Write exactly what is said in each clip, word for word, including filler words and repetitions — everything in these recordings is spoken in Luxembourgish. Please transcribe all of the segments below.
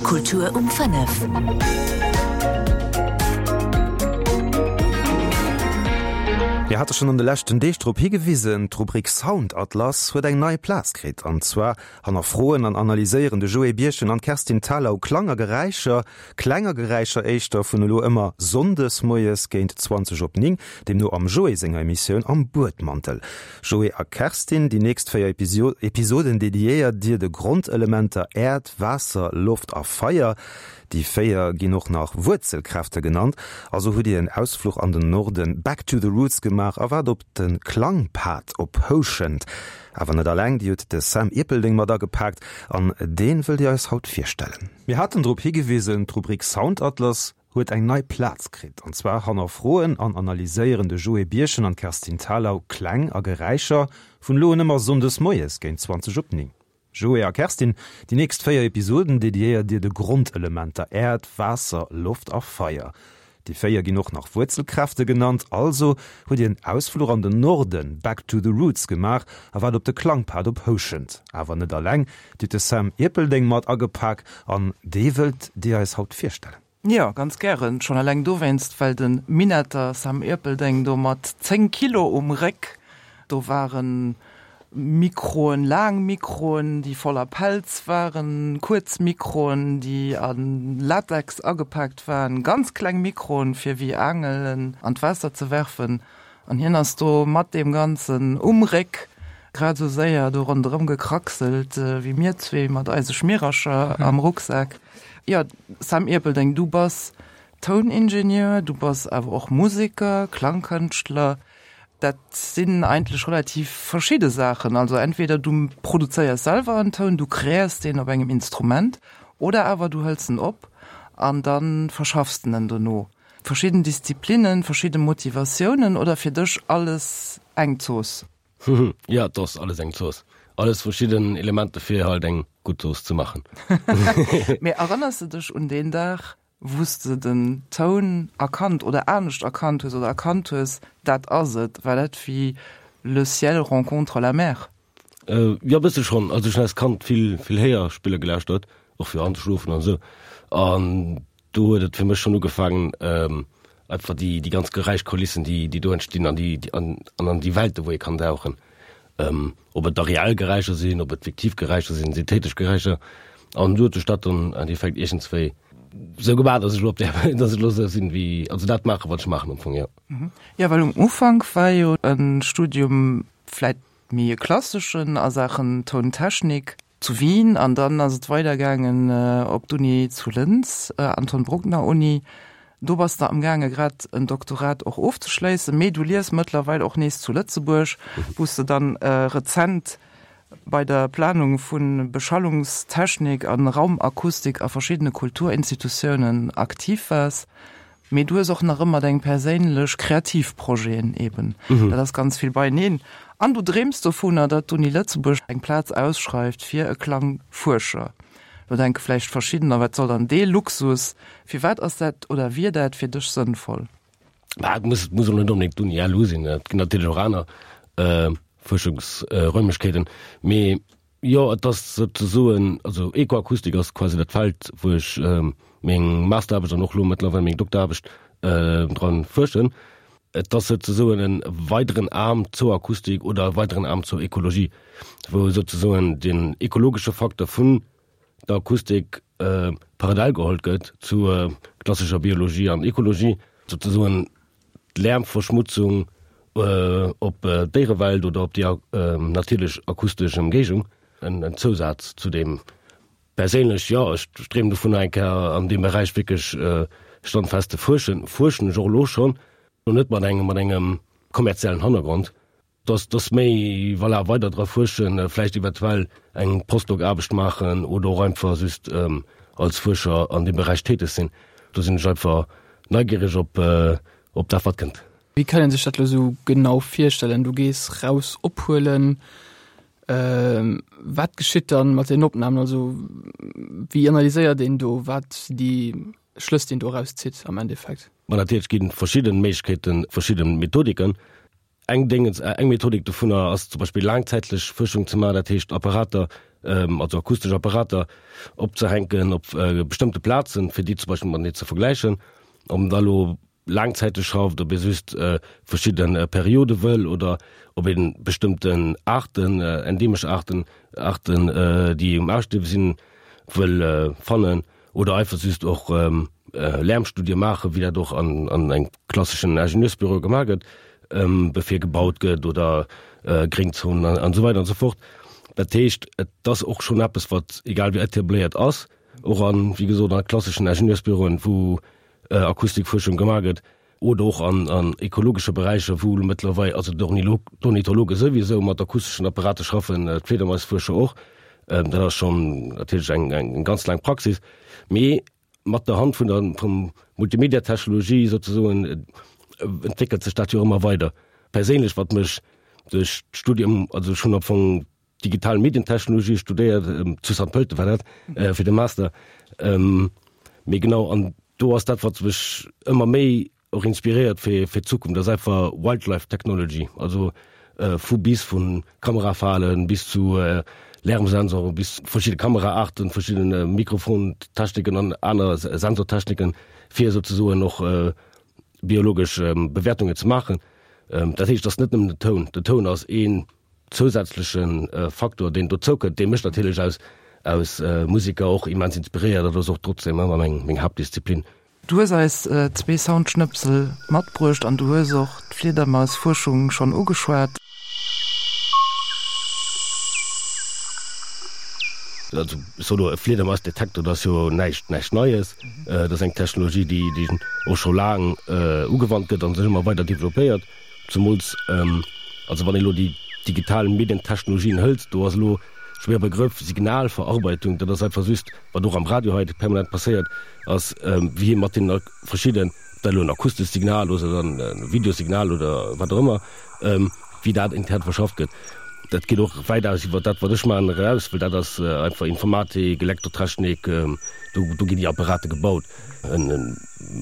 Kultur um fënnef. Mir hate schonn an de leschten Deeg drop higewisen, d'Rubrik Soundatlas huet eng nei Plaz kritt. An zwar hannerfroen an analyséieren de Joé Birchen an d'Kerstin Thalau Klang a Geräischer, Kläng a Geräischer éischter, vun elo ëmmer sonndes moies géint zwanzeg op néng, deemno am Joé senger Emissioun Am Buedmantel. Joé a Kerstin, déi nächst véier Episoden dediéiert Dir de Grondelementer Äerd, Waasser, Loft a Feier. Déi véier ginn och nach Wuerzelkräfte genannt. Also hutt Dir en Ausfluch an den Norden, back to the roots, gemaach a waart op de Klangpad op Houschent. Awer net alleng, Dir hutt de Sam Ierpeldeng mat agepaakt an dee wëllt Dir eis haut virstellen. Mir haten drop higewisen, d'Rubrik Soundatlas huet eng nei Plaz kritt. An zwar hannerfroen an analyséieren de Joé Birchen an d'Kerstin Thalau Kläng a Geräischer vun elo un ëmmer sonndes moies géint zwanzeg op néng. Joé a Kerstin, déi nächst véier Episoden dediéiert Dir de Grondelementer Äerd, Waasser, Loft a Feier. Déi véier ginn och nach Wuerzelkräfte genannt. Also hutt Dir en Ausfluch an den Norden, back to the roots, gemaach a waart op de Klangpad op Houschent. Awer net alleng, Dir hutt de Sam Ierpeldeng mat agepak an dee wëllt Dir eis haut virstellen. Jo, ganz gären. Schonn eleng dowéinst, well de Minetter Sam Ierpeldeng do mat zéng Kilo um Réck, do waren Mikroen, laang Mikroen, déi voller Pelz waren, kuerz Mikroen, déi a Latex agepaakt waren, ganz kleng Mikroen, fir wéi Aangelen an d'Waasser ze werfen. An hien ass do mat deem Ganzen um Réck grad esou séier do ronderëm gekraxelt wéi mir zwee mat eise Schmierercher am Rucksak. Jo, Sam Ierpeldeng, du bass Touningenieur, du bass awer och Museker, Klangkënschtler. Dat sinn eigentlech relativ verschidde Saachen. Also entweder du produzéiers selwer en Toun, du kreéiers deen op engem Instrument, oder awer du hëls en op an da verschaffs de en dono. Verschidden Disziplinnen, verschidde Motivatiounen oder fir dech alles eng Zooss? Jo, et ass alles eng Zooss. Alles verschidden Elementer fir halt eng gutt Zooss ze maachen. Mee erënners de dech un deen Dag, wou s de den Toun erkannt oder anescht erkannt hues oder erkannt hues, dat ass et? War dat wéi Le ciel rencontre la mer? Jo, e bësse schonn. Also ech hunn als Kand vill, vill Héierspiller gelauschtert, och fir anzeschlofen an esou. An do huet et fir mech schonn ugefaangen, einfach déi, déi ganz Geräischkulissen, déi, déi do entstinn an déi, an, an déi Welte wou ee kann dauchen. Ob et da reell Geräischer sinn, ob et fiktiv Geräischer sinn, synthetesch Geräischer. An du huet sech dat dann am Endeffekt iergendswéi sou gemaach, dass ech elo op där, dass ech elo sou sinn wéi, also dat maachen, wat ech maachen am Fong, jo. Jo, well um Ufank war jo e Studium vläit méi e klasseschen a Saachen Tountechnik zu Wien an dann ass et weidergaangen op d'Uni zu Linz, Anton Bruckner Uni. Do bass de amgaange grad en Doktorat och ofzeschléissen, mee du liefs mëttlerweil och nees zu Lëtzebuerg, wou s de dann rezent bei der Planung vu Beschallungstechnik a Raumakustik a verschiddene Kulturinstitutiounen aktiv waars. Mee du hues och nach ëmmer deng perséinlech kreativ Projeten eben. Dat ass ganz vill beieneen. An du dreems dovunner, datt d'Uni Lëtzebuerg eng Plaz ausschreift fir e Klangfuerscher. Lo denke vläicht verschiddener, wat soll dann dee Luxus? Firwat ass dat oder wier dat fir dech sënnvoll? Bah, et muss, muss och net onbedéngt d'Uni L U sinn. Et ginn natierlech och aner Fuerschungsräumlechkeeten. Mee jo, et ass souzesoen, also Ekoakustik ass quasi dat Feld, wou ech meng Masteraarbecht an och elo mëttlerweil meng Dokteraarbecht dran fuerschen. Et ass souzesoen e weideren Aarm zur Akustik oder e weideren Aarm zur Ekologie, wou souzesoen den ekologesche Facteur vun der Akustik parallel geholl gëtt zur klassescher Biologie an Ekologie, souzesoen d'Lärmverschmutzung op d'Déierewelt oder op déi natierlech akustesch Ëmgéigend, en Zousaz zu deem. Perséinlech, jo, ech dreemen dovunner eng Kéier an deem Beräich wierklech standfest ze fuerschen. Fuerschen ech och elo schonn, lo net mat engem mat engem kommerziellen Hannergrond, dass dass méi, voilà, weider dra fuerschen, vläicht eventuell eng Postdoc-Aarbecht maachen oder och einfach just als Fuerscher an deem Beräich täteg sinn. Do sinn ech einfach neigiereg op op dat wat kënnt. Wéi kann een sech dat elo sou genau virstellen? Du gees raus ophuelen. Wat geschitt dann mat den Opnamen? Also wéi analyséiert een do, wat sinn déi Schlëss, déi een do erauszitt am Endeffekt? Ma natierlech ginn verschidden Méiglechkeeten, verschidden Methodiken. Eng Déngens, eng Methodik dovunner ass zum Beispill laangzäitlech Fuerschung ze maachen, dat heescht Apparater also akustesch Apparater opzehänken op bestëmmte Plazen, fir déi zum Beispill matenee ze vergläichen, ob en da lo laangzäiteg schafft, ob ee just verschidde Periode wëll oder ob ee bestëmmten Aarten, endeemesch Aarten, Aarten, déi um Ausstierwe sinn, wëll fannen oder einfach just och Lärmstudie maachen, wéi dat och an an engem klasseschen Ingenieursbüro gemaach gëtt, bevir gebaut gëtt oder Gréngzonen an esou weider an esou fort. Dat heescht, et ass och schonn eppes, wat egal wéi etabléiert ass, och an, wéi gesot, a klasseschen Ingenieursbüroen, wou Akustikfuerschung gemaach gëtt, oder och an an ekologesche Beräicher, wou elo mëttlerweil, also d'Ornithologe souwisou mat akusteschen Apparate schaffen, d'Fliedermaisfuerscher och. Dat ass schonn natierlech eng eng ganz laang Praxis. Mee mat der Hand vun der vum Multimediatechnologie souzesoen entwéckelt sech dat jo ëmmer weider. Perséinlech, wat mech duerch d'Studium, also ech hunn am Fong digital Medientechnologie studéiert, zu Sankt Pölten war dat, fir de Master, mee genau, an do ass dat, wat mech ëmmer méi och inspiréiert fir fir d'Zukunft, ass einfach Wildlife Technology, also vu bis vu Kamerafalen bis zu Lärmsensoren, bis verschidde Kameraaarten, verschidde Mikrofontechniken an aner Sensortechniken, fir souzesoen och biologesch Bewäertungen ze maachen. Dat heescht, et ass net nëmmen den Toun. Den Toun ass een zousätzleche Faktor, deen dozoukënnt, dee mech natierlech als als Museker och immens inspiréiert. Dat ass och trotzdem ëmmer meng meng Haaptdisziplin. Du hues eis zwee Soundschnëpsel matbruecht an du hues och d'Fliedermausfuerschung schonn ugeschwat. Also ech soe lo, e Fliedermausdetektor, dat ass jo näischt näischt Neies. Dat ass eng Technologie, déi déi och scho laang ugewannt gëtt a sech ëmmer weider developpéiert. Zemools also wann ee lo déi digital Medientechnologien hëlt, do ass elo schwéier Begrëff, Signalverarbeitung, dat ass einfach just, wat och am Radio hei permanent passéiert, ass wéi ee mat deenen verschidden, ob dat elo en akustescht Signal ass oder e Videosignal oder wat och ëmmer, wéi dat intern verschafft gëtt. Dat geet och wäitaus iwwer dat, wat ech maachen, eraus, well dat ass einfach Informatik, Elektrotechnik, do do ginn déi Apparate gebaut. E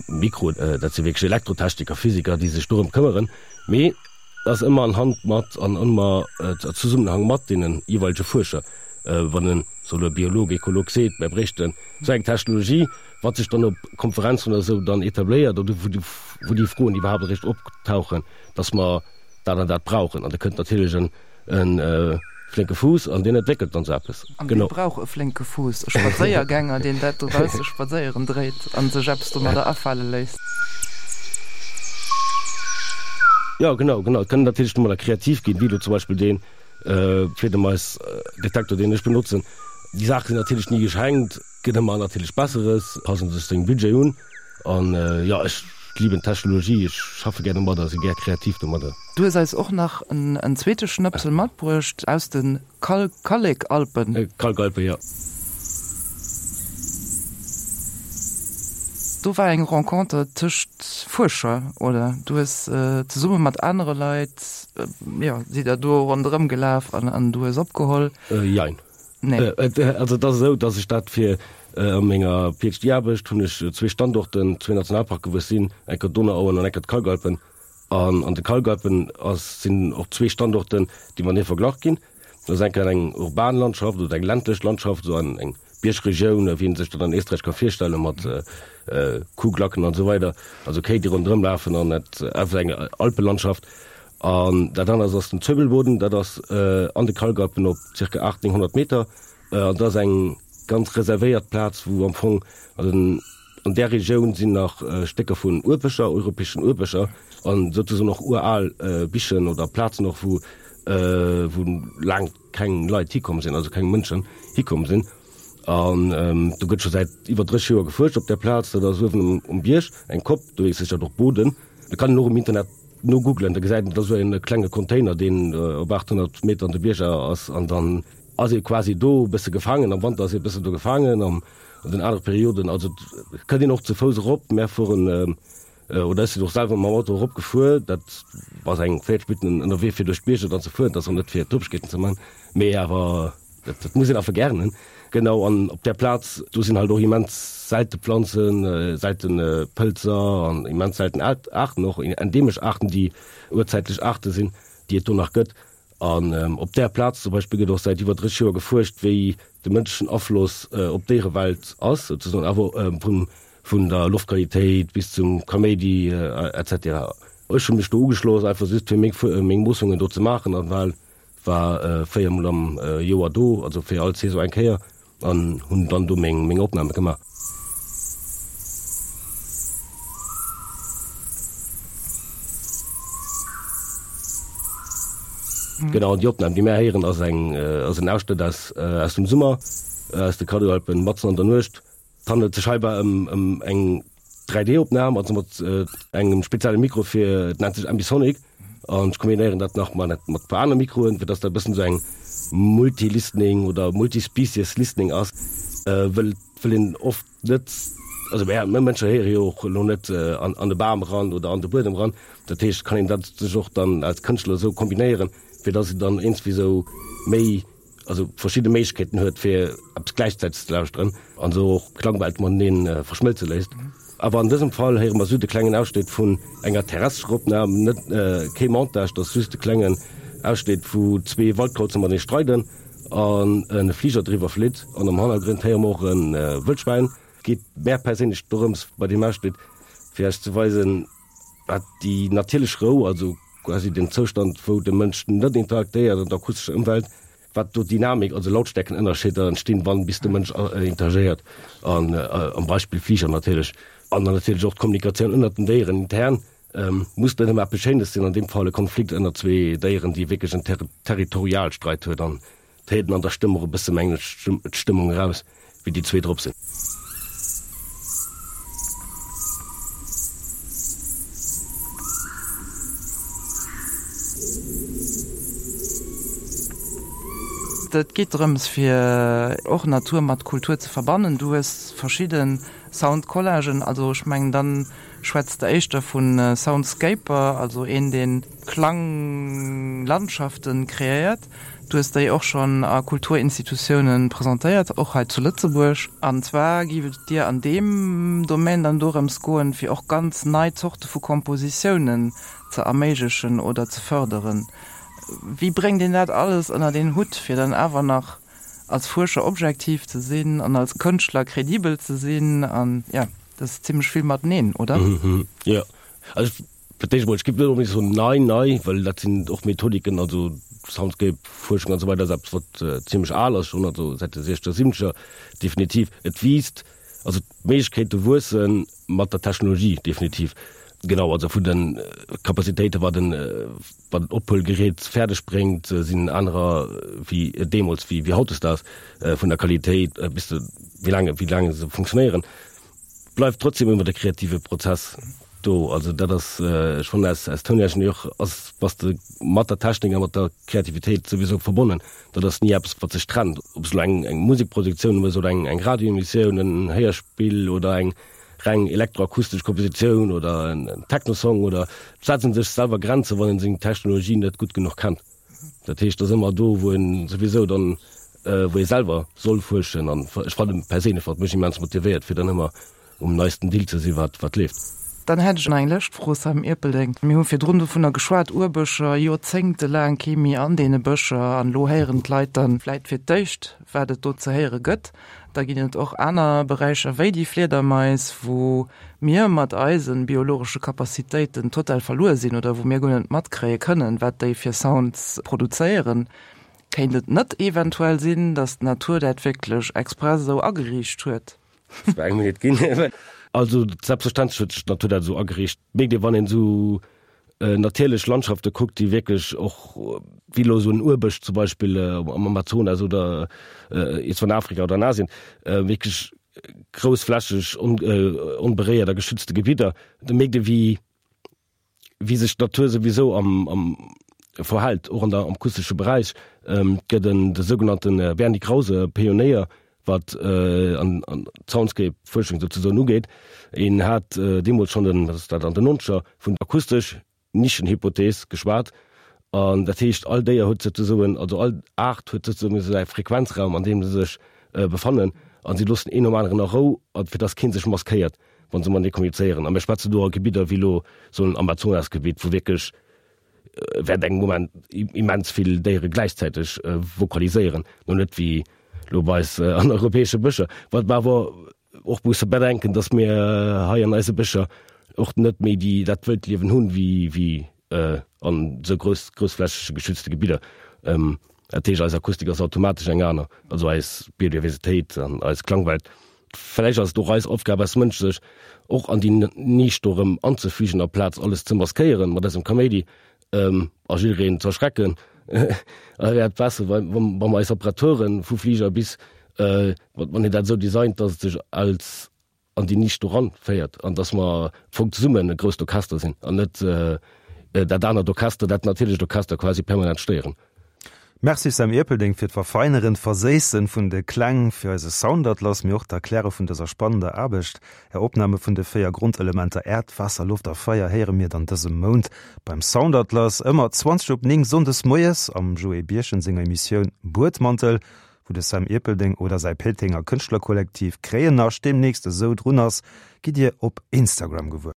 Mikro, dat si wierklech Elektrotechniker, Physiker, déi sech dorëm këmmeren. Mee et ass ëmmer an Hand mat an ëmmer a Zesummenhang mat deene jeeweilege Fuerscher. Wann en, soe lo, e Biolog, Ekolog seet, mär bréichten esou eng Technologie, wat sech dann op Konferenzen oder esou dann etabléiert oder wou déi Froen iwwerhaapt eréischt optauchen, dass mer dat an dat brauchen. An da kënnt natierlech en e flénke Fuuss an deen entwéckelt dann esou eppes. An dee brauch e flénke Fuuss, e Spadséiergänger, deen dat dobausse spadséieren dréit a sech eppes domadder afale léisst. Jo, genau, genau. Et kann een natierlech domadder kreativ ginn, wéi elo zum Beispill dee Fliedermaisdetektor, deen ech benotzen. Déi Saache sinn natierlech ni geschenkt, et gëtt ëmmer natierlech Besseres, passe sech sengem Budget un. An jo, ech liben d'Technologie, ech schaffe gär domadder, si gär kreativ domadder. Du hues eis och nach en zweete Schnëpsel matbruecht aus de Kallekalpen. Kalkalpen, jo. Do war eng Renconter tëscht Fuerscher, oder? Du hues zesumme mat anere Leit, jo, sidd der do ronderëm gelaf an du hues opgeholl. Jein. Nee. Also et ass esou, datt ech dat fir a menger PhD-Aarbecht hunn ech zwee Standorten, zwee Nationalparken, wou ech sinn, eng Kéier d'Donauauen an eng Kéier d'Kalkalpen. An an de Kalkalpen ass sinn och zwee Standorten, déi matenee verglach ginn. Dat ass eng Kéier eng urban Landschaft oder eng ländlech Landschaft, esou an eng Biergregioun, wéi een sech dat an Éisträich ka virstellen, mat Kuhglacken an esou weider, also Kéi, déi ronderëm lafen an et einfach eng Alpelandschaft. An dat anert ass den Zöbelboden, dat ass an de Kalkalpen op zirka aacht, nénghonnert Meter. An dat ass eng ganz reservéiert Plaz, wou am Fong, also an där Regioun sinn nach Stécker vun Urbëscher, europäeschen Urbëscher an souzesoen och ural Bichen oder Plazen och, wou wou laang keng Leit hikomm sinn, also keng Mënschen hikomm sinn. An do gëtt scho säit iwwer dréisseg Joer gefuerscht op där Plaz. Dat ass uewen um Bierg, eng Kopp, do heescht dat och Boden. Do kann een och um Internet Nogooglen, da gesäit een, et ass esou en klenge Container, deen op achthonnert Meter an de Bierger ass an dann ass ee quasi do e bësse gefaangen. Am Wanter ass ee e bëssen do gefaangen, an den anere Perioden, also et kënnt een och ze Fouss erop. Mär fueren, oder ech sinn och selwer mam Auto erop gefuer, dat ass eng véierzeg Minutten ënnerwee fir duerch d'Bierger dann ze fueren, dat ass och net fir Topegkeeten ze man, mee awer dat muss een einfach gären hunn. Genau, an op där Plaz, do sinn halt och immens selte Planzen, selten Pëlzer an immens selten Aarten och, endeemesch Aarten, déi urzäitlech Aarte sinn, déi et do nach gëtt. An op där Plaz zum Beispill gëtt och säit iwwer dréisseg Joer gefuerscht, wéi de mënschlechen Afloss op d'Déierewelt ass, souzesoen awer vun vun der Loftqualitéit bis zum Kaméidi et cetera. Ech hu mech do ugeschloss, einfach just fir meng meng Moossungen do ze maachen an well war véier mol am Joer do, also fir all Saison eng Kéier an hunn dann do meng meng Opname gemaach. Genau, an déi Opnam, déi mär héieren, ass eng ass en Ausschnëtt aus aus dem Summer, aus de Kaddoalpen, matzen an der Nuecht. Et handelt sech heibäi ëm ëm eng dräi D-Opnam, also mat engem spezielle Mikro fir, et nennt sech Ambisonic, an ech kombinéieren dat nach mat mat e puer aner Mikroen, fir dass dat e bëssen esou eng Multi-Listening oder Multi-Species Listening ass, wëll wëll een oft net, also mär mär Mënsche héiere jo och elo net an an de Bam eran oder an de Buedem eran. Dat heescht, kann een dat sech och dann als Kënschtler esou kombinéieren, fir dass een dann iergendwéi esou méi, also verschidde Méiglechkeeten huet, fir eppes gläichzäiteg ze lauschteren an esou och d'Klangwelt matenee verschmëlze léisst. Awer an dësem Fall héiere mer just e klengen Ausschnitt vun enger terrestrescher Opnam, net kee Montage, dat ass just e klengen Ausschnitt, wou zwee Waldkauze matenee streiden an e Fliger driwwer flitt an am Hannergrond héiere mer och e Wëldschwäin. Et geet mär perséinlech dorëms bei deem Ausschnitt, fir Iech ze weisen, wat déi natierlech Rou, also quasi den Zoustand, wou de Mënsch net interaktéiert an der akustescher Ëmwelt, wat do Dynamik, also Lautstärkenënnerscheeder entstinn, wann bis de Mënsch interagéiert, an am Beispill Fliger natierlech, an dann natierlech och d'Kommunikatioun ënnert den Déieren intern, muss net ëmmer eppes Schéines sinn, an deem Fall e Konflikt ënnert zwee Déieren, déi wierklech en Territorialstreit huet an d'héiert een an der Stëmm och e bësse, mengen ech, d'Stëmmung eraus, wéi déi zwee drop sinn. Et geet drëms fir och Natur mat Kultur ze verbannen. Du hues verschidde Soundcollagen, also ech mengen dann schwätz de éischter vu Soundscaper, also een deen Klanglandschaften kreéiert. Du hues déi och schonn a Kulturinstitutiounen presentéiert, och hei zu Lëtzebuerg. An zwar géif et dir an deem Domaine dann dorëms goen, fir och ganz nei Zorte vu Kompositiounen ze erméiglechen oder ze fërderen. Wéi bréngt een dat alles ënnert een Hutt, fir dann awer nach als Fuerscher objektiv ze sinn an als Kënschtler kredibel ze sinn an, jo, dat ass zimlech vill mateneen, oder? Jo, also fir d'éischt emol, ech géif net onbedéngt soen nei, nei, well dat sinn och Methodiken, also Soundscape-Fuerschung an esou weider ass eppes, wat zimlech al ass schonn, also säit de siechzeger, siwwenzeger definitiv. Et wiisst, also d'Méiglechkeete wuesse mat der Technologie definitiv. Genau, also vun de Capacitéite wat en wat en Ophuelgerät fäerdeg bréngt, sinn anerer wéi deemools, wéi wéi hautdesdaags, vun der Qualitéit bis de wéi laang wéi laang se funktionéieren, bleift trotzdem ëmmer de kreative Prozess do. Also dat ass schonn als als Touningenieur ass bass de mat der Technik a mat der Kreativitéit souwisou verbonnen. Dat ass ni eppes wat sech trennt, ob s de elo eng eng Musekproduktioun hues oder eng eng Radioemissioun, en Héierspill oder eng reng elektroakustesch Kompositioun oder en Technosong oder et setze sech selwer Grenze wann een seng Technologie net gutt genuch kennt. Dat heescht, et ass ëmmer do wou een souwisou dann wou ee selwer soll fuerschen an ech fannen perséinlech wat mech immens motivéiert fir dann ëmmer um neisten Deal ze si wat wat leeft. Dann hätt ech nach eng lescht Fro, Sam Erpelding. Mir hu virdrun dovunner geschwat, Urbëscher, joerzéngtelaang kee méi an deene Bëscher an elo héieren d'Leit dann vläit fir d'éischt wat et do ze héiere gëtt. Da ginn et och aner Beräicher wéi déi Fliedermais, wou mir mat eise biologesche Capacitéiten total verluer sinn oder wou mir guer net matkréie kënnen, wat déi fir Sounds produzéieren. Kéint et net eventuell sinn, datt d'Natur dat wierklech express esou ageriicht huet? Dat war eng Minutt ginn. Also selbstverständlech huet sech d'Natur dat esou ageriicht. Mierkt ee wann een esou natierlech Landschafte kuckt, déi wierklech och, wéi elo esou en Urbësch zum Beispill am Amazonas oder iergendwou an Afrika oder an Asien, wierklech groussflächeg onberéiert a geschützte Gebidder, da mierkt ee wéi wéi sech d'Natur souwisou am am verhält, och an der am akustesche Beräich. Et gëtt en de sougenannte Bernie Krause, Pionéier wat an an d'Soundscape-Fuerschung souzesoen ugeet. Een hat deemools schonn den, wat ass dat, an den Nonzeger vun akustesch Nischenhypothees geschwat. An dat heescht, all Déier huet souzesoen, also all Aart huet souzesoen säi Frequenzraum, an deem se sech befannen. A si loossen een nom aneren a Rou, fir dass kee sech maskéiert, wa se matenee kommunizéieren. A mir schwätzen do a Gebidder wéi elo esou en Amazonasgebitt, wou wierklech während engem Moment immens vill Déiere gläichzäiteg vokaliséieren, no net wéi lo bei eis an europäesche Bëscher. Wat mer awer och musse bedenken, dass mir hei an eise Bëscher och net méi déi dat wëllt Liewen hunn wéi wéi an esou grouss groussflächege geschützte Gebidder. Dat heescht, eis Akustik ass automatesch eng aner, also eis Biodiversitéit an eis Klangwelt. Vläicht ass et och eis Aufgab als Mënsch, sech och an déi Nisch do erëm anzefügen, aplaz alles ze maskéieren mat eisem Kaméidi a jiddereen ze erschrecken. Da wär et besser, wa mer eis Apparaturen, vu Fliger bis, wann een dat esou designt, dass et sech als an déi Nisch do ranféiert an dass mer am Fong zesummen e grousst Orchester sinn an net dat anert Orchester, dat natierlecht Orchester quasi permanent stéieren. Merci Sam Erpelding fir d'Verfeineren, d'Verséissen vun de Kläng fir eise Soundatlas, mee och d'Erkläre vun dëser spannender Aarbecht. Är Opname vun de véier Grondelementer Äerd, Waasser, Loft a Feier héiere mir dann dëse Mount beim Soundatlas, ëmmer zwanzeg op néng sonndes moies am Joé Birchen senger Emissioun Buedmantel, wou de Sam Erpelding oder säi Péitenger Kënschtlerkollektiv Kréiennascht deemnächst esou drun ass, gitt Dir op Instagram gewuer.